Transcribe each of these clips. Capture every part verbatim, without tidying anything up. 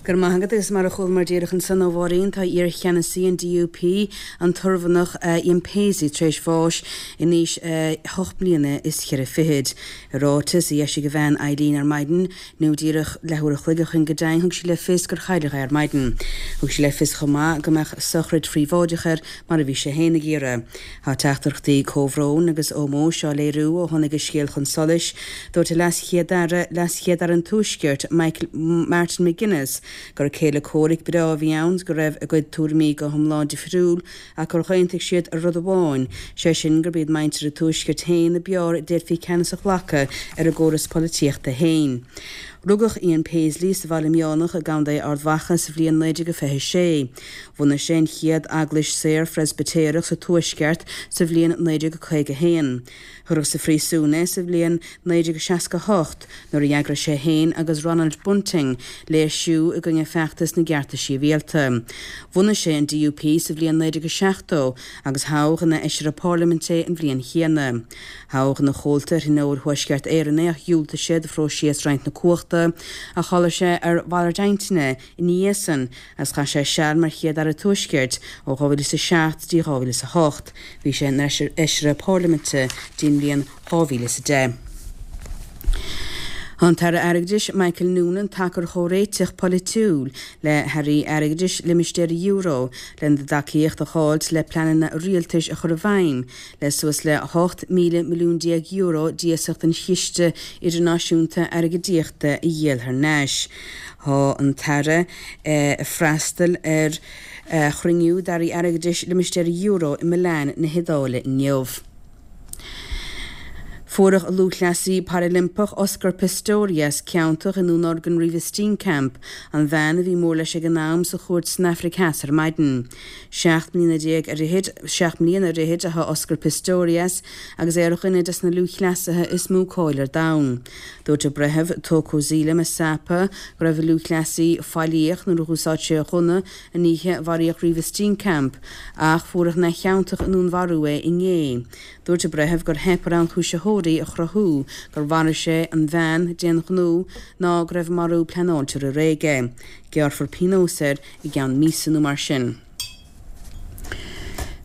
Go raibh maith agat agus mar a chualamar díreach ansan ó Mháirín tá iarcheannasaí an DUP an tOirmhinneach Ian Paisley tar éis bháis in aois hocht mbliana is ceithre fichid. I ráiteas a d'eisigh a bhean Eileen ar maidin nó díreach leathuair a chloig ó shin go deimhin thug sí le fios gur chailleadh é ar maidin. Thug sí le fios chomh maith go mbeadh sochraid phríobháideach air mar a bhí sé féin ag iarraidh. Tá teachtaireachtaí comhbhróin agus ómóis á léiriú ó tháinig an scéal chun solais, dúirt a leas-chéad-aire leas-chéad-aire an Tuaiscirt Michael Martin McGuinness gur céile comhraic breá a bhí ann go raibh a gcuid tuairimí go hiomlán difriúil ach gur aontaigh siad ar rud amháin, sé sin gurb iad muintir an Tuaiscirt féin ab fhearr a d'fhéadfaí ceannas a ghlacadh ar a gcóras polaitíochta féin. Rugadh Ian Paisley sa Bhaile Meánach i gContae Ard Mhacha sa bhliain naoi déag fiche a sé. Bhunaigh sé an chéad eaglais saor Phreispitéireach sa Tuaisceart sa bhliain naoi déag caoga a haon. Cuireadh sa phríosún é sa bhliain naoi déag seasca a hocht nuair a d'eagraigh sé féin agus Ronald Bunting léirsiú i gcoinne feachtas na gcearta sibhialta. Bhunaigh sé an DUP sa bhliain naoi déag seachtó agus toghadh ina fheisire parlaiminte é an bhliain chéanna. Toghadh ina chomhalta ar Thionól Thuaisceart Éireann é ach dhiúltaigh sé do phróiseas roinnt na cumhachta ach tharla sé ar mhalairt intinne ina dhiaidh san agus chaith sé seal mar Chéad-Aire Tuaiscirt ó dhá mhíle is a seacht dtí dhá mhíle is a hocht. Bhí sé ina fheisire parlaiminte dtí an bhliain dhá mhíle is a deich. Tá an tAire Airgeadais Michael Noonan tacar chomhréiteach polaitiúil le hairí airgeadais limistéar an euro lena dtacaíocht a fháilt le pleananna rialtais a chur i bhfeidhm le suas le hocht míle milliún déag euro d'iasacht an Chiste Idirnáisiúnta Airgeadaíochta a dhíol thar n-ais. Tá an tAire ag freastal ar chruinniú d'airí airgeadais limistéar an euro i Milan na hIodáile inniu. Fuaireadh an lúthchleasaí Parailimpeach Oscar Pistorius ciontach i ndúnorgain Reeva Steenkamp, an bhean a bhí mór leis ag an am sa chúirt san Afraic Theas ar maidin. Seacht mbliana déag ar fhichid, seacht mbliana ar fhichid atá Oscar Pistorius agus é ar dhuine des na lúthchleasaithe is mó cáil ar domhan. Dúirt an breitheamh Thokozile Masipa go raibh an lúthchleasaí faillíoch nuair a dh'úsáid sé a ghunna an oíche a mharaíodh Reeva Steenkamp ach fuaireadh neamhchiontach i ndúnmharú é inné. Dúirt an breitheamh gur theip ar ionchúisitheoirí a chruthú gur mharaigh sé an bhean d'aon ghnó ná go raibh an marú pleanáilte roimh ré aige. Gearrfar pionós air i gceann míosa nó mar sin.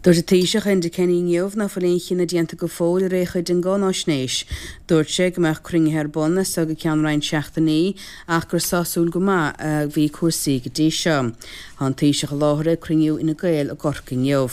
Dúirt an Taoiseach Enda Kenny inniu nach bhfuil aon chinneadh déanta go fóill ar aon chuid den gcáináisnéis. Dúirt sé go mbeadh cruinnithe ar bun as seo go ceann roinnt seachtainí ach gur sásúil go maith a bhí cúrsaí go dtí seo. Tá an Taoiseach i láthair ag cruinniú Fhine Gael i gCorcaigh inniu.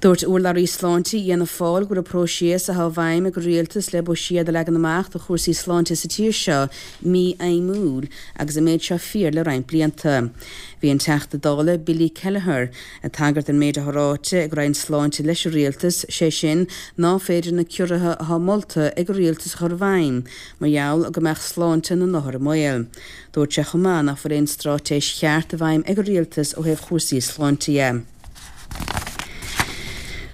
Dúirt urlabhraí sláinte Fhianna Fáil go bhfuil an próiseas atá i bhfeidhm ag an rialtas le buiséad a leagan amach do chúrsaí sláinte sa tír seo mífheidhmiúil agus an méid seo fíor le roinnt blianta. Bhí an Teachta Dála Billy Kelleher ag tagairt don méid atá ráite ag Roinn Sláinte leis an rialtas, sé sin ná féidir na ciorruithe atá molta ag an rialtas a chur i bhfeidhm mar gheall go mbeadh sláinte na n-othar i mbaol. Dúirt sé chomh maith nach bhfuil aon straitéis cheart i bhfeidhm ag an rialtas ó thaobh chúrsaí sláinte dhe.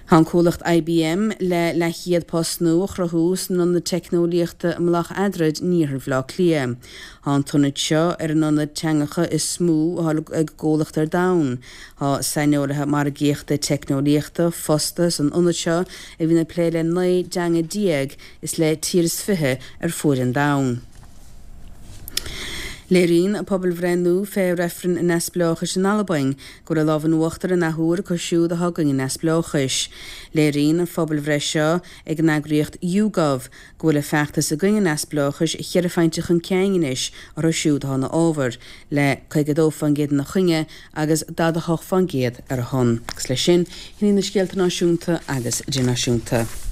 Tá an comhlacht IBM le leathchéad post nua a chruthú san ionad teicneolaíochta i Mullach Eadrad in iarthar Bhaile Átha Cliath. Tá an t-ionad seo ar an ionad teangacha is mó atá ag an gcomhlacht ar domhan. Tá saineolaithe margaíochta teicneolaíochta fostaithe san ionad seo a bhíonn ag plé le naoi dteanga déag is le tír is fiche ar fuaid an domhain. Léiríonn pobalbhreith nua fé reifreann an neamhspleáchais in Albain go bhfuil an lámh in uachtar an athuair acu siúd atá i gcoinne an neamhspleáchais. Léiríonn an phobalbhreith seo ag an eagraíocht YouGov go bhfuil an feachtas i gcoinne an neamhspleáchais cheithre phointe chun cinn anois orthu siúd atá ina fhábhar, le caoga a dó faoin gcéad ina choinne agus daichead a hocht faoin gcéad ar a shon. Agus leis sin, sin iad na scéalta náisiúnta agus idirnáisiúnta.